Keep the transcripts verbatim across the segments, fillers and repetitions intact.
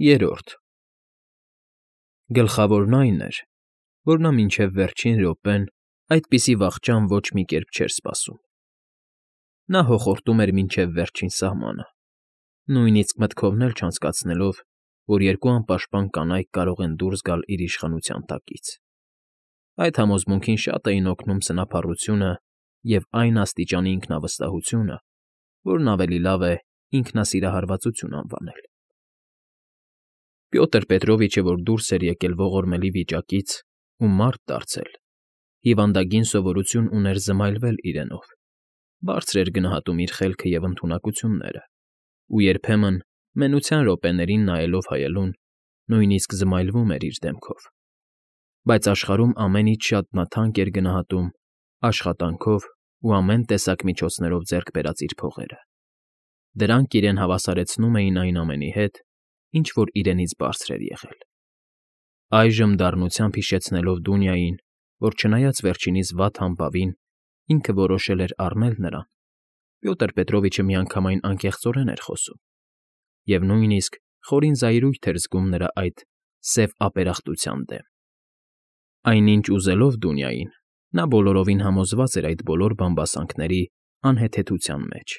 Երրորդ Գլխավորն այն էր, որ նա մինչև վերջին րոպեն այդպիսի վախճան ոչ մի կերպ չէր սպասում. նա հոխորտում էր մինչև վերջին սահմանը, նույնիսկ մտքովն էլ չանցկացնելով, որ երկու անպաշտպան կանայք կարող են դուրս գալ իր իշխանության տակից. այդ համոզմունքին շատ էին օգնում սնափառությունը և այն աստիճանի ինքնավստահությունը, որն ավելի լավ է ինքնասիրահարվածություն անվանել։ Պյոտր Պետրովիչը, որ դուրս էր եկել ողորմելի վիճակից ու մարդ դարձել, հիվանդագին սովորություն ուներ զմայլվել իրենով, բարձր էր գնահատում իր խելքը և ընդունակությունները ու երբեմն, մենության րոպեներին նայելով հայելուն, նույնիսկ զմայլվում էր իր դեմքով, բայց աշխարհում ամեն ինչ շատ նա թանկ էր գնահատում աշխատանքով ու ամեն տեսակ միջոցներով ձեռք բերած իր փողերը. դրանք իրեն հավասարեցնում էին այն ամենի հետ, ինչ որ իրենից բարձր էր եղել։ Այժմ դառնությամբ հիշեցնելով Դունյային, որ չնայած վերջինիս վատ համբավին, ինքը որոշել էր առնել նրան, Պյոտր Պետրովիչը միանգամայն անկեղծորեն էր խոսում, և նույնիսկ խորին զայրույթ էր զգում նրա այդ սև ապերախտության դեմ։ Այնինչ ուզելով Դունյային, նա բոլորովին համոզված էր այդ բոլոր բամբասանքների անհեթեթության մեջ,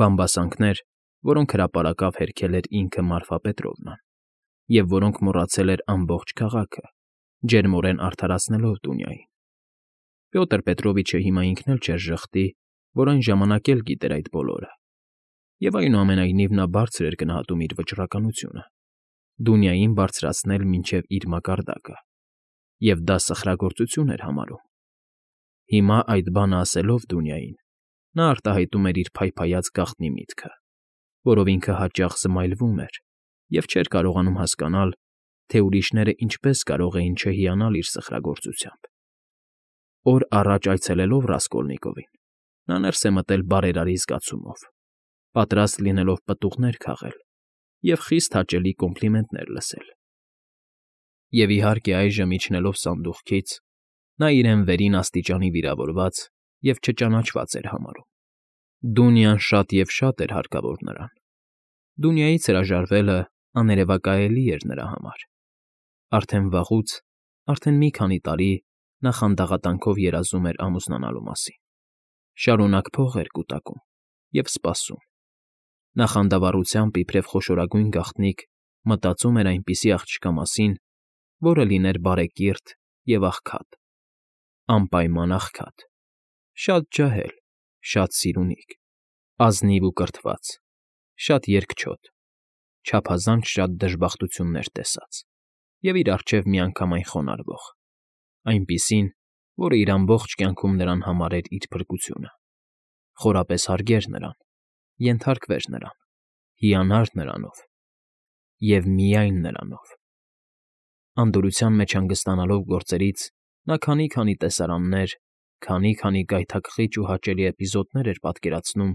բամբասանքներ, որոնք հրապարակավ հերքել էր ինքը Մարֆա Պետրովնան, և որոնք մոռացել էր ամբողջ քաղաքը, ջերմորեն արդարացնելով Դունյային։ Պյոտր Պետրովիչը հիմա ինքն էլ չէր ժխտի, որ այն ժամանակ էլ գիտեր այդ բոլորը, և այնուամենայնիվ նա բարձր էր գնահատում իր վճռականությունը, Դունյային բարձրացնել մինչև իր մակարդակը, և դա սխրագործություն էր համարում։ Հիմա այդ բանը ասելով Դունյային, նա արտահայտում էր իր փայփայած գաղտնի միտքը, որով ինքը հաճախ զմայլվում էր և չէր կարողանում հասկանալ, թե ուրիշները ինչպես կարող էին չհիանալ իր սխրագործությամբ։ Օր առաջ այցելելով Ռասկոլնիկովին, նա ներս է մտել բարերարի զգացումով, պատրաստ լինելով պտուղներ քաղել և խիստ հաճելի կոմպլիմենտներ լսել։ Եվ, իհարկե, այժմ իջնելով սանդուղքից, նա իրեն վերին աստիճանի վիրավորված և չճանաչված էր համարում։ Դունյան շատ և շատ էր հարկավոր նրան։ Դունյայից հրաժարվելը աներևակայելի էր նրա համար։ Արդեն վաղուց, արդեն մի քանի տարի նա խանդաղատանքով երազում էր ամուսնանալու մասին, շարունակ փող էր կուտակում և սպասում։ Նա խանդավառությամբ, իբրև խոշորագույն գաղտնիք, մտածում էր այնպիսի աղջկա մասին, որը լիներ բարեկիրթ և աղքատ, անպայման աղքատ, շատ ջահել, շատ սիրունիկ, ազնիվ ու կրթված, շատ երկչոտ, չափազանց շատ դժբախտություններ տեսած և իր առջև միանգամայն խոնարհվող, այնպիսին, որը իր ամբողջ կյանքում նրան համարեր իր փրկությունը, խորապես հարգեր նրան, ենթարկվեր նրան, հիանար նրանով և միայն նրանով։ Անդորրության մեջ հանգստանալով գործերից նա քանի֊քանի տեսարաններ, քանի֊քանի գայթակղիչ ու հաճելի էպիզոդներ էր պատկերացնում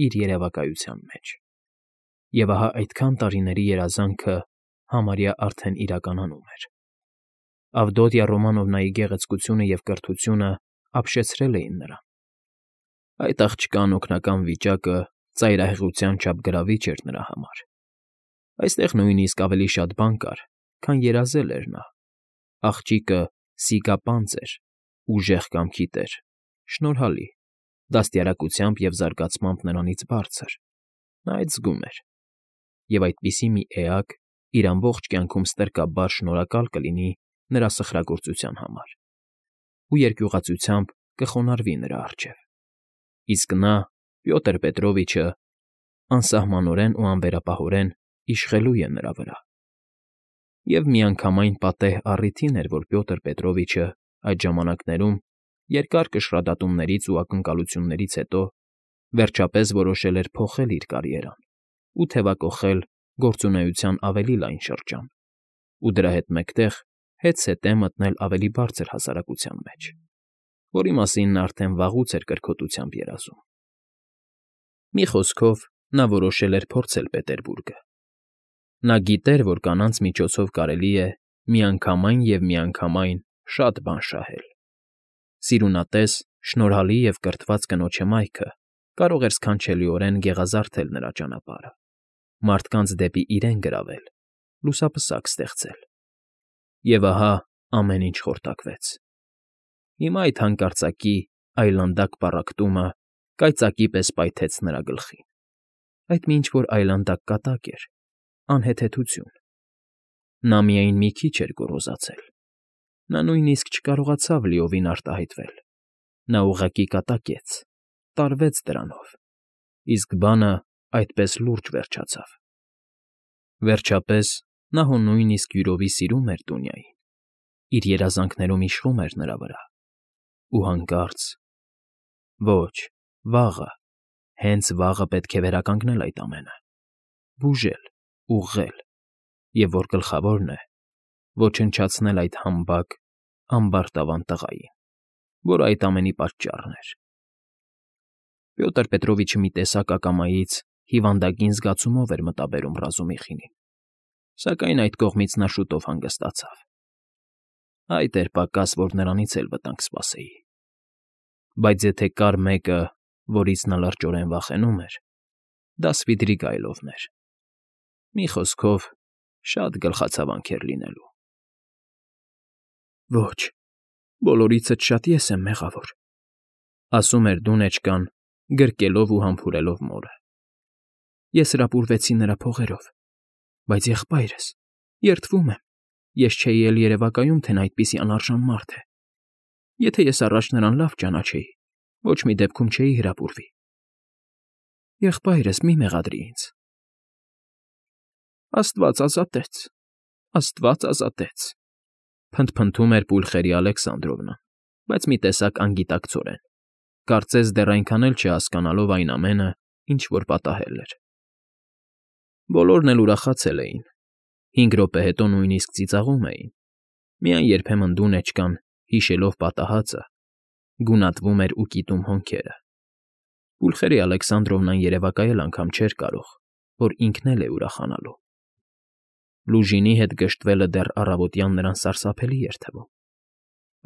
իր երևակայության մեջ։ Եվ ահա այդքան տարիների երազանքը համարյա արդեն իրականանում էր։ Ավդոտյա Ռոմանովնայի գեղեցկությունը և կրթությունը ապշեցրել էին նրան։ Այդ աղջկա անօգնական վիճակը ծայրահեղության չափ գրավիչ էր նրա համար։ Այստեղ նույնիսկ ավելի շատ բան կար, քան երազել էր նա։ Աղջիկը սիգապանծ էր, ուժեղ կամքի տեր, շնորհալի, դաստիարակությամբ և զարգացմամբ նրանից բարձր, նա այդ զգում էր, և այդպիսի մի էակ իր ամբողջ կյանքում ստրկաբար շնորհակալ կլինի նրա սխրագործության համար ու երկյուղածությամբ կխոնարհվի նրա առջև, իսկ նա, Պյոտր Պետրովիչը, անսահմանորեն ու անվերապահորեն իշխելու է նրա վրա։ Եվ միանգամայն պատեհ առիթին էր, որ Պյոտր Պետրովիչը այդ ժամանակներում, երկար կշռադատումներից ու ակնկալություններից հետո, վերջապես որոշել էր փոխել իր կարիերան ու թևակոխել գործունեության ավելի լայն շրջան ու դրա հետ մեկտեղ հետզհետե մտնել ավելի բարձր հասարակության մեջ, որի մասին նա արդեն վաղուց էր կրքոտությամբ երազում։ Մի խոսքով, նա որոշել էր փորձել Պետերբուրգը։ Նա գիտեր, որ կանանց միջոցով կարելի է միանգամայն և միանգամայն շատ բան շահել։ Սիրունատես, շնորհալի և կրթված կնոջ հմայքը կարող էր սքանչելիորեն գեղազարդել նրա ճանապարհը, մարդկանց դեպի իրեն գրավել լուսապսակ ստեղծել։ Եվ ահա ամեն ինչ խորտակվեց։ Հիմա այդ հանկարծակի այլանդակ պառակտումը կայծակի պես պայթեց նրա գլխին։ Այդ մի ինչ֊որ այլանդակ կատակ էր, անհեթեթություն։ Նա միայն մի քիչ էր գոռոզացել։ Նա նույնիսկ չկարողացավ լիովին արտահայտվել։ Նա ուղղակի կատակեց, տարվեց դրանով, իսկ բանը այդպես լուրջ վերջացավ։ Վերջապես նա հո նույնիսկ յուրովի սիրում էր Դունյային, իր երազանքներում իշխում էր նրա վրա։ Ու հանկարծ… Ոչ, վաղը, հենց վաղը պետք է վերականգնել այդ ամենը, բուժել, ուղղել, և, որ գլխավորն է, ոչնչացնել այդ համբակ, ամբարտավան տղային, որ այդ ամենի պատճառն էր։ Պյոտր Պետրովիչը մի տեսակ ակամայից հիվանդագին զգացումով էր մտաբերում Ռազումիխինին, սակայն այդ կողմից նա շուտով հանգստացավ։ Այդ էր պակաս, որ նրանից էլ վտանգ սպասեի։ Բայց եթե կար մեկը, որից նա լրջորեն վախենում էր, դա Սվիդրիգայլովն էր։ Մի խոսքով, շատ գլխացավանք էր լինելու։ Ոչ, բոլորիցդ շատ ես եմ մեղավոր, ասում էր Դունեչկան, գրկելով ու համբուրելով մորը։ Ես հրապուրվեցի նրա փողերով, բայց եղբայրս, երդվում եմ, ես չէի էլ երևակայում, թե նա այդպիսի անարժան մարդ է։ Եթե ես առաջ նրան լավ ճանաչեի, ոչ մի դեպքում չէի հրապուրվի։ Եղբայրս, մի մեղադրի ինձ։ Աստված ազատեց, Աստված ազատեց, փնթփնթում էր Պուլխերի Ալեքսանդրովնան, բայց մի տեսակ անգիտակցորեն, կարծես դեռ այնքան էլ չհասկանալով այն ամենը, ինչ որ պատահել էր։ Բոլորն էլ ուրախացել էին, հինգ րոպե հետո նույնիսկ ծիծաղում էին, միայն երբեմն Դունեչկան, հիշելով պատահածը, գունատվում էր ու կիտում հոնքերը։ Պուլխերի Ալեքսանդրովնան երևակայել անգամ չէր կարող, որ ինքն էլ է ուրախանալու։ Լուժինի հետ գժտվելը դեռ առավոտյան նրան սարսափելի էր թվում։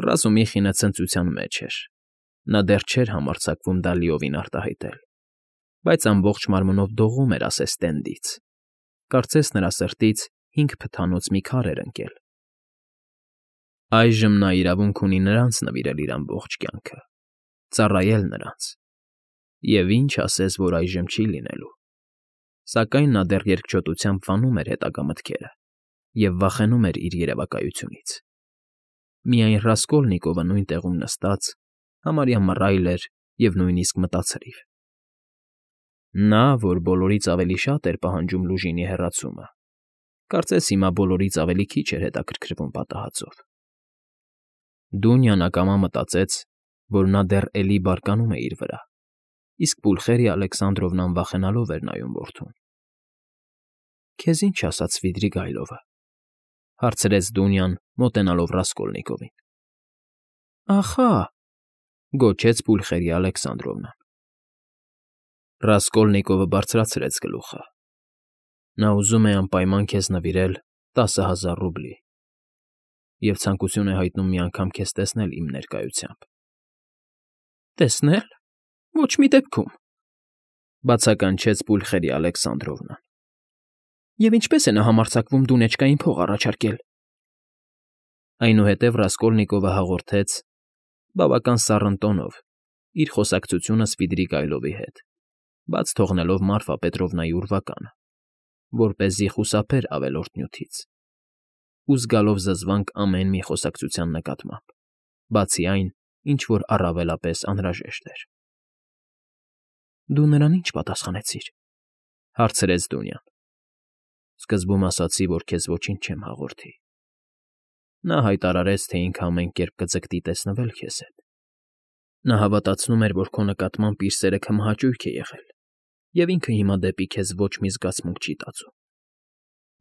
Ռազումիխինը ցնծության մեջ էր։ Նա դեռ չէր համարձակվում դա լիովին արտահայտել, բայց ամբողջ մարմնով դողում էր ասես տենդից։ Կարծես նրա սրտից հինգ փթանոց մի քար էր ընկել։ Այժմ նա իրավունք ունի նրանց նվիրել իր ամբողջ կյանքը, ծառայել նրանց։ Եվ ինչ ասես, որ այժմ չի լինելու։ Սակայն նա դեռ երկչոտությամբ վանում էր հետագա մտքերը և վախենում էր իր երևակայությունից։ Միայն Ռասկոլնիկովը նույն տեղում նստած, համարյա մռայլ էր և նույնիսկ մտածրիվ։ Նա, որ բոլորից ավելի շատ էր պահանջում Լուժինի հեռացումը, կարծես հիմա բոլորից ավելի քիչ էր հետաքրքրվում պատահածով։ Դունյան ակամա մտածեց, որ նա դեռ էլի բարկանում է իր վրա, իսկ Պուլխերի Ալեքսանդրովնան վախենալով էր նայում որդուն։ Քեզ ինչ ասաց Սվիդրիգայլովը, հարցրեց Դունյան, մոտենալով Ռասկոլնիկովին։ Ախա, գոչեց Պուլխերի Ալեքսանդրովնան։ Ռասկոլնիկովը բարձրացրեց գլուխը։ Նա ուզում է անպայման քեզ նվիրել տասը հազար ռուբլի և ցանկություն է հայտնում մի անգամ քեզ տեսնել իմ ներկայությամբ։ Տեսնե՞լ… Ոչ մի դեպքում, բացականչեց Պուլխերի Ալեքսանդրովնան։ Եվ ինչպե՞ս է նա համարձակվում Դունեչկային փող առաջարկել։ Այնուհետև Ռասկոլնիկովը հաղորդեց, բավական սառն տոնով, իր խոսակցությունը Սվիդրիգայլովի հետ, բաց թողնելով Մարֆա Պետրովնայի ուրվականը, որպեսզի խուսափեր ավելորդ նյութից, ու զգալով զզվանք ամեն մի խոսակցության նկատմամբ, բացի այն, ինչ որ առավելապես անհրաժեշտ էր։ Դու նրան ի՞նչ պատասխանեցիր, հարցրեց Դունյան։ Սկզբում ասացի, որ քեզ ոչինչ չեմ հաղորդի։ Նա հայտարարեց, թե ինքը ամեն կերպ կձգտի տեսնվել քեզ հետ։ Նա հավատացնում էր, որ քո նկատմամբ իր սերը քմահաճույք է եղել, և ինքը հիմա դեպի քեզ ոչ մի զգացմունք չի տածում։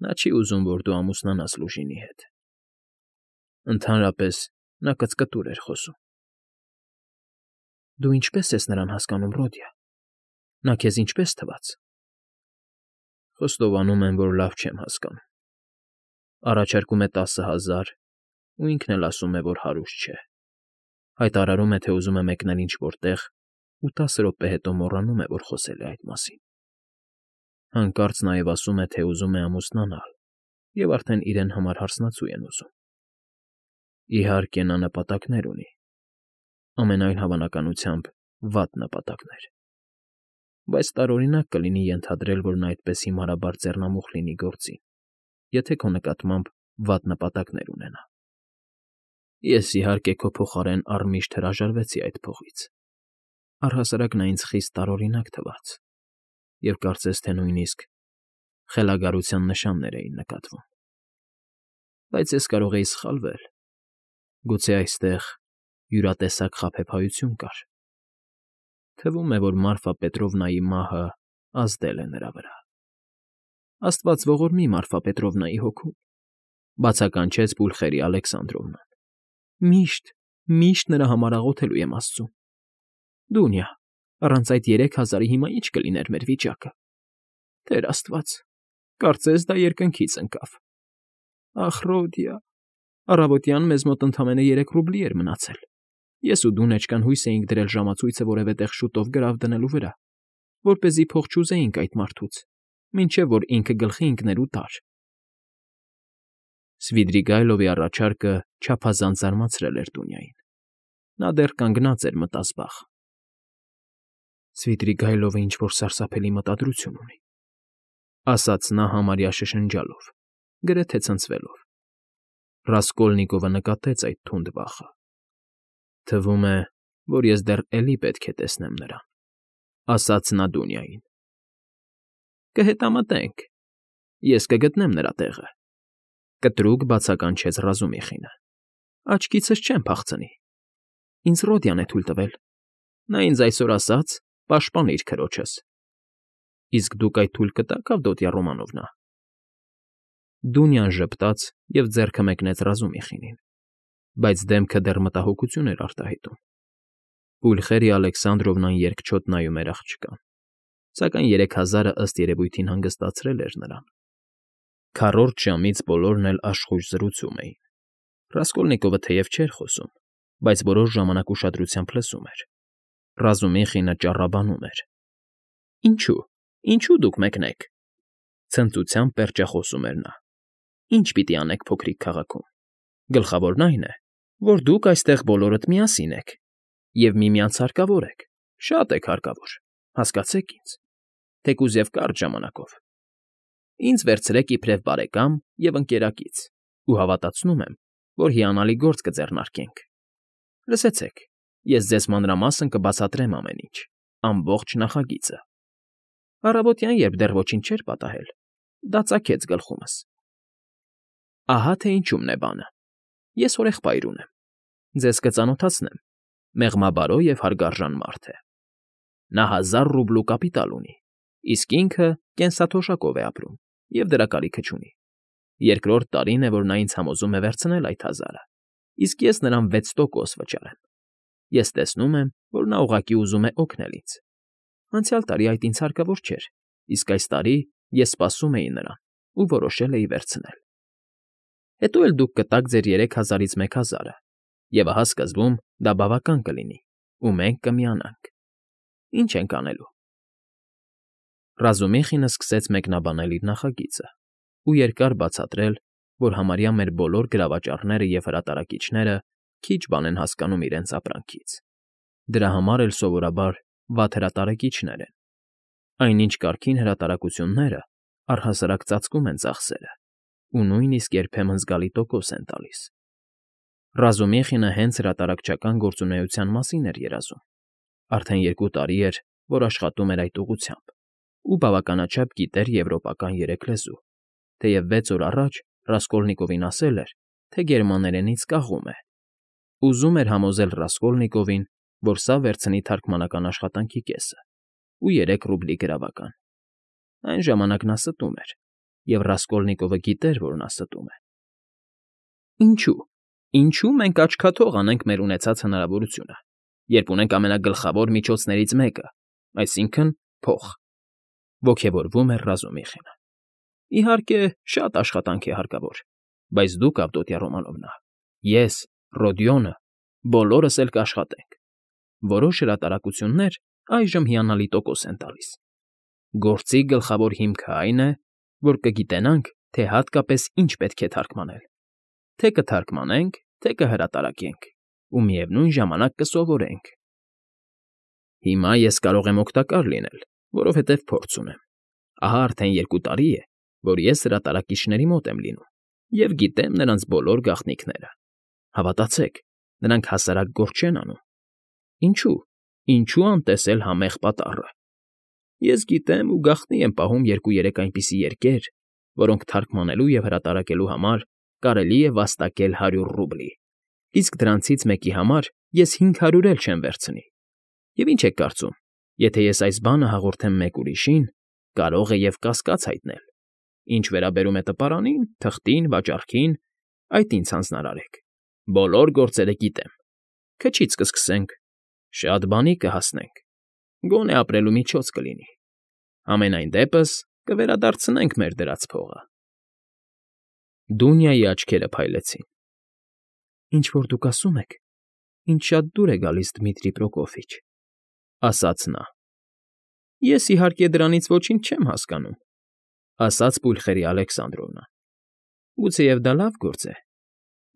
Նա չի ուզում, որ դու ամուսնանաս Լուժինի հետ։ Ընդհանրապես, նա կծկտուր էր խոսում։ Դու ինչպե՞ս ես նրան հասկանում, Ռոդիա։ Նա քեզ ինչպե՞ս թվաց։ Խոստովանում եմ, որ լավ չեմ հասկանում։ Առաջարկում է տասը հազար, ու ինքն էլ ասում է, որ հարուստ չէ։ Հայտարարում է, թե ուզում է մեկնել ինչ֊որ տեղ ու տասը րոպե հետո մոռանում է, որ խոսել է այդ մասին։ Հանկարծ նաև ասում է, թե ուզում է ամուսնանալ, և արդեն իրեն համար հարսնացու են ուզում։ Իհարկե, նա նպատակներ ունի, ամենայն հավանականությամբ վատ նպատակներ, բայց տարօրինակ կլինի ենթադրել, որ նա այդպես հիմարաբար ձեռնամուխ լինի գործին, եթե քո նկատմամբ վատ նպատակներ ունենա։ Ես, իհարկե, քո փոխարեն առմիշտ հրաժարվեցի այդ փողից, առհասարակ նա ինձ խիստ տարօրինակ թվաց, և կարծես թե նույնիսկ խելագարության նշաններ էին նկատվում։ Բայց ես կարող էի սխալվել, գուցե այստեղ յուրատեսակ խաբեբայություն կար։ Թվում է, որ Մարֆա Պետրովնայի մահը ազդել է նրա վրա։ Աստված ողորմի Մարֆա Պետրովնայի հոգուն, բացականչեց Պուլխերիա Ալեքսանդրովնան։ Միշտ, միշտ նրա համար աղոթելու եմ Աստծուն։ Դունյա, առանց այդ երեք հազարի հիմա ի՞նչ կլիներ մեր վիճակը։ Տեր Աստված, կարծես դա երկնքից ընկավ։ Ախ, Ռոդիա, առավոտյան մեզ մոտ ընդամենը երեք ռուբլի էր մնացել։ Ես ու դու նեջկան հույս էինք դրել ժամացույցը որևէ տեղ շուտով գրավ դնելու վրա, որպեսզի փող չուզեինք այդ մարդուց, մինչև որ ինքը գլխի ընկներ ու տար։ Սվիդրիգայլովի առաջարկը չափազանց զարմացրել էր Դունյային։ Նա դեռ կանգնած էր մտազբաղ։ Սվիդրիգայլովը ինչ֊որ սարսափելի մտադրություն ունի, ասաց նա համարյա շշնջալով, գրեթե ցնցվելով։ Ռասկոլնիկովը նկատեց այդ թունդ վախը։ Թվում է, որ ես դեռ էլի պետք է տեսնեմ նրան, ասաց նա Դունյային։ Կհետամտենք, ես կգտնեմ նրա տեղը, կտրուկ բացականչեց Ռազումիխինը։ Աչքիցս չեմ փախցնի։ Ինձ Ռոդիան է թույլ տվել։ Նա ինձ այսօր ասաց. «Պաշտպանիր քրոջս»։ Իսկ դուք այդ թույլ կտաք, Ավդոտյա Ռոմանովնա։ Դունյան ժպտաց և ձեռքը մեկնեց Ռազումիխինին, բայց դեմքը դեռ մտահոգություն էր արտահայտում։ Պուլխերիա Ալեքսանդրովնան երկչոտ նայում էր աղջկան, սակայն երեք հազարը ըստ երևույթին հանգստացրել էր նրան։ Քառորդ ժամից բոլորն էլ աշխույժ զրուցում էին։ Ռասկոլնիկովը թեև չէր խոսում, բայց որոշ ժամանակ ուշադրությամբ լսում էր։ Ռազումիխինը ճառաբանում էր. Ինչո՞ւ, ինչո՞ւ դուք մեկնեք, ցնծությամբ պերճախոսում էր նա։ Ինչ պիտի անեք փոքրիկ քաղաքում։ Գլխավորն այն է, որ դուք այստեղ բոլորդ միասին եք և միմյանց հարկավոր եք, շատ եք հարկավոր, հասկացեք ինձ, թեկուզ և կարճ ժամանակով։ Ինձ վերցրեք իբրև բարեկամ և ընկերակից ու հավատացնում եմ, որ հիանալի գործ կձեռնարկենք։ Լսեցեք, ես ձեզ մանրամասն կբացատրեմ ամեն ինչ, ամբողջ նախագիծը։ Առավոտյան, երբ դեռ ոչինչ չէր պատահել, դա ծագեց գլխումս։ Ահա թե ինչումն է բանը։ Ես հորեղբայր ունեմ, ձեզ կծանոթացնեմ, մեղմաբարո և հարգարժան մարդ է։ Նա հազար ռուբլու կապիտալ ունի, իսկ ինքը կենսաթոշակով է ապրում և դրա կարիքը չունի։ Երկրորդ տարին է, որ նա ինձ համոզում է վերցնել այդ հազարը, իսկ ես նրան վեց տոկոս վճարեմ։ Ես տեսնում եմ, որ նա ուղղակի ուզում է օգնել ինձ։ Անցյալ տարի այդ ինձ հարկավոր չէր, իսկ այս տարի ես սպասում էի նրան ու որոշել էի վերցնել։ Հետո էլ դուք կտաք ձեր երեք հազարից մեկ հազարը, և ահա սկզբում դա բավական կլինի, ու մենք կմիանանք։ Ինչ ենք անելու։ Ռազումիխինը սկսեց մեկնաբանել իր նախագիծը ու երկար բացատրել, որ համարյա մեր բոլոր գրավաճառները և հրատարակիչները քիչ բան են հասկանում իրենց ապրանքից։ Դրա համար էլ սովորաբար վատ հրատարակիչներ են։ Այնինչ կարգին հրատարակությունները առհասարակ ծածկում են ծախսերը ու նույնիսկ երբեմն զգալի տոկոս են տալիս։ Ռազումիխինը հենց հրատարակչական գործունեության մասին էր երազում։ Արդեն երկու տարի էր, որ աշխատում էր այդ ուղղությամբ ու բավականաչափ գիտեր եվրոպական երեք լեզու, թեև վեց օր առաջ Ռասկոլնիկովին ասել էր, թե գերմաներենից կաղում է։ Ուզում էր համոզել Ռասկոլնիկովին, որ սա վերցնի թարգմանական աշխատանքի կեսը ու երեք ռուբլի գրավական։ Այն ժամանակ նա ստում էր, և Ռասկոլնիկովը գիտեր, որ նա ստում է։ Ինչո՞ւ, ինչո՞ւ մենք աչքաթող անենք մեր ունեցած հնարավորությունը, երբ ունենք ամենագլխավոր միջոցներից մեկը, այսինքն՝ փող, ոգևորվում էր Ռազումիխինը։ Իհարկե, շատ աշխատանք է հարկավոր, բայց դուք, Ավդոտյա Ռոմանովնա, ես, Ռոդիոնը, բոլորս էլ կաշխատենք։ Որոշ հրատարակություններ այժմ հիանալի տոկոս են տալիս։ Գործի գլխավոր հիմքը այն է, որ կգիտենանք, թե հատկապես ինչ պետք է թարգմանել, թե կթարգմանենք, թե կհրատարակենք ու միևնույն ժամանակ կսովորենք։ Հիմա ես կարող եմ օգտակար լինել, որովհետև փորձ ունեմ։ Ահա արդեն երկու տարի է, որ ես հրատարակիչների մոտ եմ լինում և գիտեմ նրանց բոլոր գաղտնիքները։ Հավատացեք, նրանք հասարակ գործ չեն անում։ Ինչո՞ւ, ինչո՞ւ անտեսել համեղ պատառը։ Ես գիտեմ ու գաղտնի եմ պահում երկու֊երեք այնպիսի երկեր, որոնք թարգմանելու և հրատարակելու համար կարելի է վաստակել հարյուր ռուբլի, իսկ դրանցից մեկի համար ես հինգ հարյուր էլ չեմ վերցնի։ Եվ ինչ եք կարծում, եթե ես այս բանը հաղորդեմ մեկ ուրիշին, կարող է և կասկած հայտնել։ Ինչ վերաբերում է տպարանին, թղթին, վաճառքին, այդ ինձ հանձնարարեք։ Բոլոր գործերը գիտեմ։ Քչից կսկսենք, շատ բանի կհասնենք, գոնե ապրելու միջոց կլինի։ Համենայն դեպս կվերադարձնենք մեր դրած փողը։ Դունյայի աչքերը փայլեցին։ Ինչ֊որ դուք ասում եք, ինձ շատ դուր է գալիս, Դմիտրի Պրոկոֆիչ, ասաց նա։ Ես, իհարկե, դրանից ոչինչ չեմ հասկանում, ասաց Պուլխերיה Ալեքսանդրովնա։ Գուցեև դա լավ գործ է,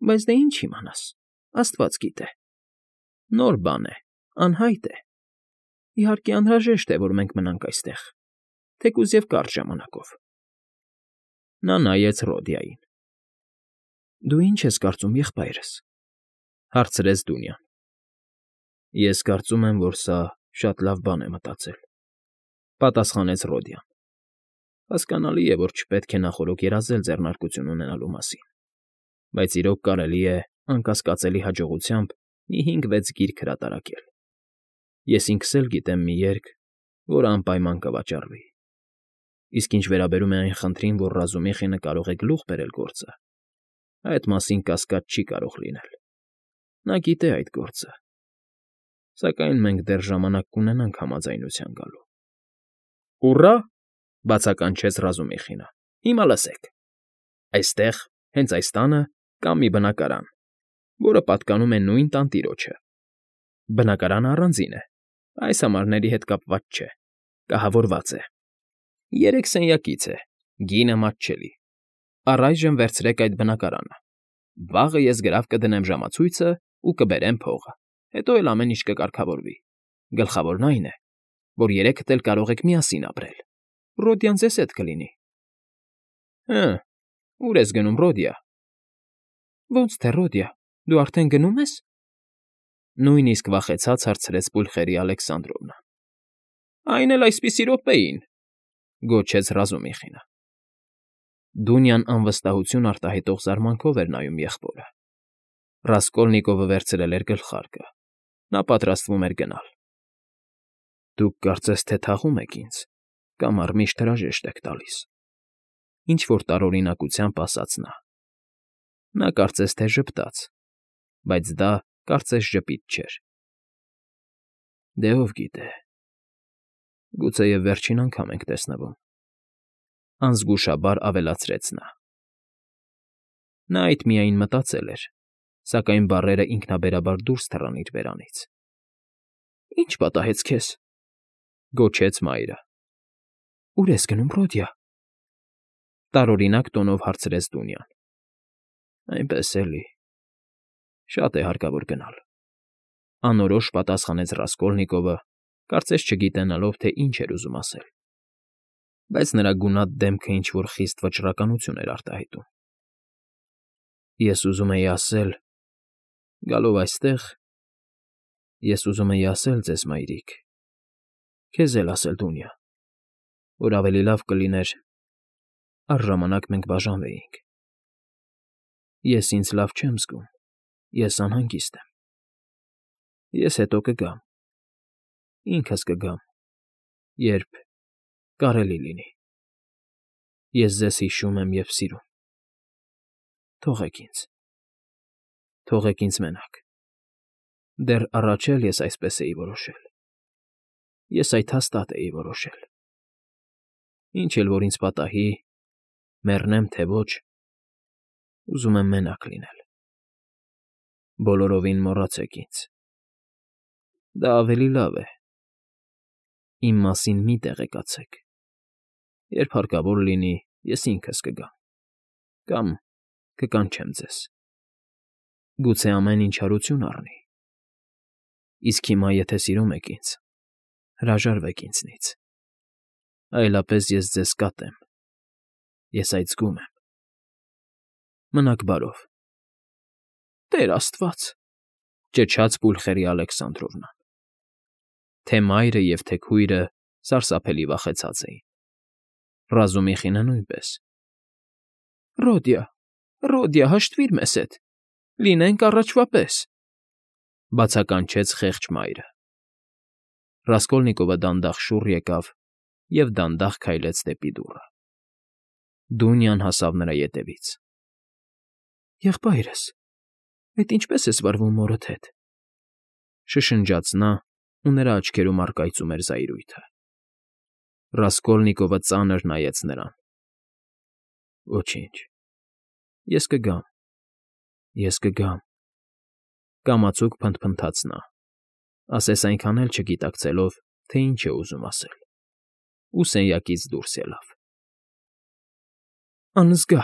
բայց դե ինչ իմանաս, աստված գիտե։ Նոր բան է, անհայտ է։ Իհարկե, անհրաժեշտ է, որ մենք մնանք այստեղ, թեկուզ և կարճ ժամանակով։ Նա նայեց Ռոդիային։ Դու ի՞նչ ես կարծում, եղբայրս, հարցրեց Դունյան։ Ես կարծում եմ, որ սա շատ լավ բան է մտածել, պատասխանեց Ռոդյան։ Հասկանալի է, որ չպետք է նախօրոք երազել ձեռնարկություն ունենալու մասին, բայց իրոք կարելի է անկասկածելի հաջողությամբ մի հինգ֊վեց գիրք հրատարակել։ Ես ինքս էլ գիտեմ մի երգ, որը անպայման կվաճառվի։ Իսկ ինչ վերաբերում է այն խնդրին, որ Ռազումիխինը կարող է գլուխ բերել գործը, այդ մասին կասկած չի կարող լինել։ Նա գիտե այդ գործը։ Սակայն մենք դեռ ժամանակ կունենանք համաձայնության գալու։ Ուռա!֊ բացականչեց Ռազումիխինը։ Հիմա լսեք։ Այստեղ, հենց այս տանը, կա մի բնակարան, որը պատկանում է նույն տանտիրոջը։ Բնակարանը առանձին է, այս ամառների հետ կապված չէ, կահավորված է։ Երեք սենյակից է, գինը մատչելի։ Առայժմ վերցրեք այդ բնակարանը։ Վաղը ես գրավ կդնեմ ժամացույցը ու կբերեմ փողը, հետո էլ ամեն ինչ կկարգավորվի։ Գլխավորն այն է, որ երեքդ էլ կարող եք միասին ապրել։ Ռոդյան ձեզ հետ կլինի։ Հը, ուր ես գնում, Ռոդիա։ Ոնց թե Ռոդիա, դու արդեն գնում ես։ Նույնիսկ վախեցած հարցրեց Պուլխերיה Ալեքսանդրովնա։ Այն էլ այսպիսի րոպեին, գոչեց Ռազումիխինը։ Դունյան անվստահություն արտահայտող զարմանքով էր նայում եղբորը։ Ռասկոլնիկովը վերցրել էր գլխարկը։ Նա պատրաստվում էր գնալ։ Դուք կարծես թե թաղում եք ինձ, կամ առմիշտ հրաժեշտ եք տալիս։ Ինչ֊որ տարօրինակությամբ ասաց նա։ Նա կարծես թե ժպտաց, բայց դա կարծես ժպիտ չէր։ Դե ով գիտե, գուցեև վերջին անգամ ենք տեսնվում, անզգուշաբար ավելացրեց նա։ Նա այդ միայն մտածել էր, սակայն բառերը ինքնաբերաբար դուրս թռան իր բերանից։ Ի՞նչ պատահեց քեզ,֊ գոչեց մայրը։ Ո՞ւր ես գնում, Ռոդիա,֊ տարօրինակ տոնով հարցրեց Դունյան։ Այնպես էլի, շատ է հարկավոր գնալ,֊ անորոշ պատասխանեց Ռասկոլնիկովը, կարծես չգիտենալով, թե ինչ էր ուզում ասել։ Բայց նրա գունատ դեմքը ինչ֊որ խիստ վճռականություն էր արտահայտում։ Ես ուզում էի ասել, գալով այստեղ, ես ուզում էի ասել ձեզ, մայրիկ, քեզ էլ ասել, Դունյա, որ ավելի լավ կլիներ առժամանակ մենք բաժանվեինք։ Ես ինձ լավ չեմ զգում, ես անհանգիստ եմ։ Ես հետո կգամ, ինքս կգամ, երբ կարելի լինի։ Ես ձեզ հիշում եմ և սիրում։ Թողեք ինձ, թողեք ինձ մենակ։ Դեռ առաջ էլ ես այսպես էի որոշել։ Ես այդ հաստատ էի որոշել։ Ինչ էլ որ ինձ պատահի, մեռնեմ թե ոչ, ուզում եմ մենակ լինել։ Բոլորովին մոռացեք ինձ։ Դա ավելի լավ է։ Իմ մասին մի տեղեկացեք։ Երբ հարկավոր լինի, ես ինքս կգամ։ Կամ կկանչեմ ձեզ։ Գուցե ամեն ինչ հարություն առնի։ Իսկ հիմա, եթե սիրում եք ինձ, հրաժարվեք ինձնից, այլապես ես ձեզ կատեմ, ես այդ զգում եմ։ Մնաք բարով։ Տեր աստված, ճչաց Պուլխերի Ալեքսանդրովնան։ Թե մայրը և թե քույրը սարսափելի վախեցած էին, Ռազումիխինը նույնպես։ Ռոդիա, Ռոդիա, հաշտվիր մեզ հետ, լինենք առաջվա պես, բացականչեց խեղճ մայրը։ Ռասկոլնիկովը դանդաղ շուռ եկավ և դանդաղ քայլեց դեպի դուռը։ Դունյան հասավ նրա ետևից։ Եղբայրս, այդ ինչպե՞ս ես վարվում մորդ հետ, շշնջաց նա, ու նրա աչքերում առկայծում էր զայրույթը։ Ռասկոլնիկովը ծանր նայեց նրան։ Ոչինչ, ես կգամ, ես կգամ, կամացուկ փնթփնթաց նա, ասես այնքան էլ չգիտակցելով, թե ինչ է ուզում ասել, ու սենյակից դուրս ելավ։ Անզգա,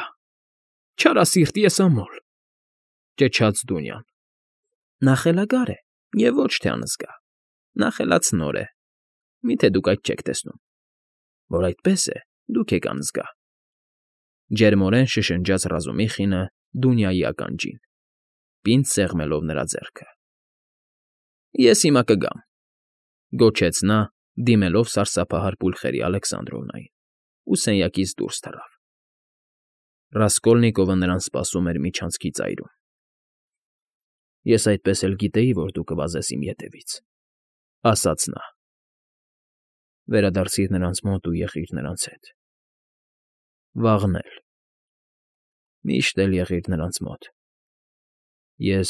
չարասիրտ եսամոլ, ճչաց Դունյան։ Նա խելագար է և ոչ թե անզգա, նա խելացնոր է, միթե դուք այդ չեք տեսնում, որ այդպես է, դուք եք անզգա, ջերմորեն շշնջաց Ռազումիխինը Դունյայի ականջին, պինդ սեղմելով նրա ձեռքը։ Ես հիմա կգամ, գոչեց նա, դիմելով սարսափահար Պուլխերի Ալեքսանդրովնային, ու սենյակից դուրս թռավ։ Ռասկոլնիկովը նրան սպասում էր միջանցքի ծայրում։ Ես այդպես էլ գիտեի, որ դու կվազես իմ ետևից, ասաց նա։ Վերադարձիր նրանց մոտ ու եղիր նրանց հետ։ Վաղն էլ։ Միշտ էլ եղիր նրանց մոտ։ Ես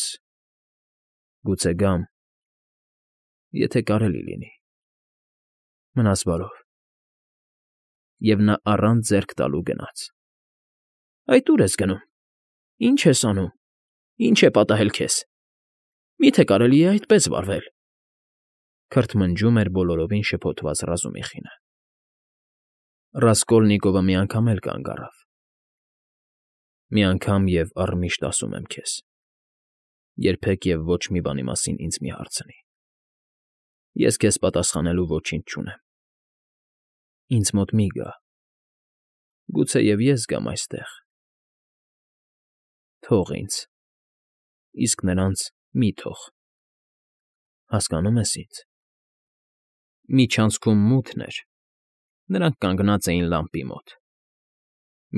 գուցե գամ, եթե կարելի լինի։ Մնաս բարով։ Եվ նա առանց ձեռք տալու գնաց։ Այդ ո՞ւր ես գնում։ Ինչ ես անում։ Ինչ է պատահել քեզ։ Մի՞թե կարելի է այդպես վարվել, քրթմնջում էր բոլորովին շփոթված Ռազումիխինը։ Ռասկոլնիկովը մի անգամ էլ կանգ առավ։ Մի անգամ և առմիշտ ասում եմ քեզ. երբեք և ոչ մի բանի մասին ինձ մի հարցնի։ Ես քեզ պատասխանելու ոչինչ չունեմ։ Ինձ մոտ մի գա։ Գուցե և ես գամ այստեղ։ Թող ինձ, իսկ նրանց մի թող։ Հասկանո՞ւմ ես ինձ։ Միջանցքում մութն էր, նրանք կանգնած էին լամպի մոտ։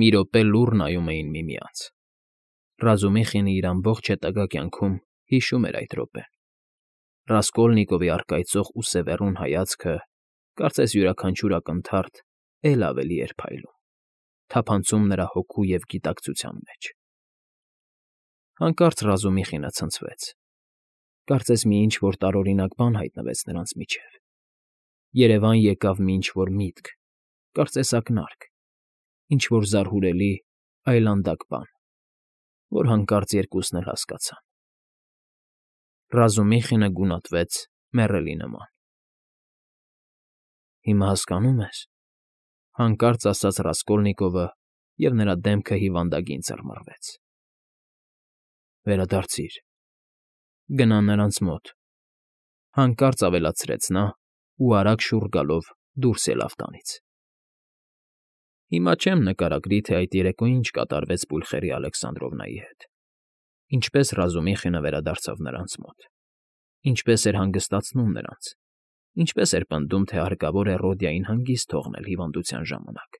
Մի րոպե լուռ նայում էին միմյանց։ Ռազումիխինը իր ամբողջ հետագա կյանքում հիշում էր այդ րոպեն։ Ռասկոլնիկովի առկայծող ու սևեռուն հայացքը, կարծես յուրաքանչյուր ակնթարթ էլ ավելի էր փայլում, թափանցում նրա հոգու և գիտակցության մեջ։ Հանկարծ Ռազումիխինը ցնցվեց։ Կարծես մի ինչ֊որ տարօրինակ բան հայտնվեց նրանց միջև։ Երևան եկավ մի ինչ֊որ միտք, կարծես ակնարկ, ինչ֊որ զարհուրելի, այլանդակ բան, որ հանկարծ երկուսն էլ հասկացան։ Ռազումիխինը գունատվեց մեռելի նման։ Հիմա հասկանո՞ւմ ես, հանկարծ ասաց Ռասկոլնիկովը, և նրա դեմքը հիվանդագին ծռմռվեց։ Վերադարձիր, գնա նրանց մոտ, հանկարծ ավելացրեց նա ու արագ շուռ գալով դուրս ելավ տանից։ Հիմա չեմ նկարագրի, թե այդ երեկո ինչ կատարվեց Պուլխերի Ալեքսանդրովնայի հետ, ինչպես Ռազումիխինը վերադարձավ նրանց մոտ, ինչպես էր հանգստացնում նրանց, ինչպես էր պնդում, թե հարկավոր է Ռոդիային հանգիստ թողնել հիվանդության ժամանակ,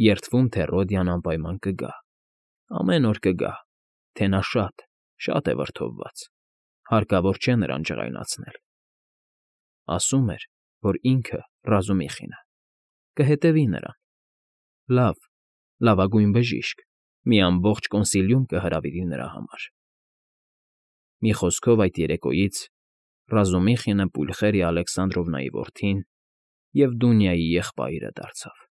երդվում, թե Ռոդիան անպայման կգա, ամեն օր կգա, թե նա շատ, շատ է վրդովված, հարկավոր չէ նրան ջղայնացնել։ Ասում էր, որ ինքը, Ռազումիխինը, կհետևի նրան։ Լավ, լավագույն բժիշկ, մի ամբողջ կոնսիլիում կհրավիրի նրա համար։ Մի խոսքով այդ երեկոյից Ռազումիխինը Պուլխերի Ալեքսանդրովնայի որդին և Դունյայի եղբայրը դարձավ։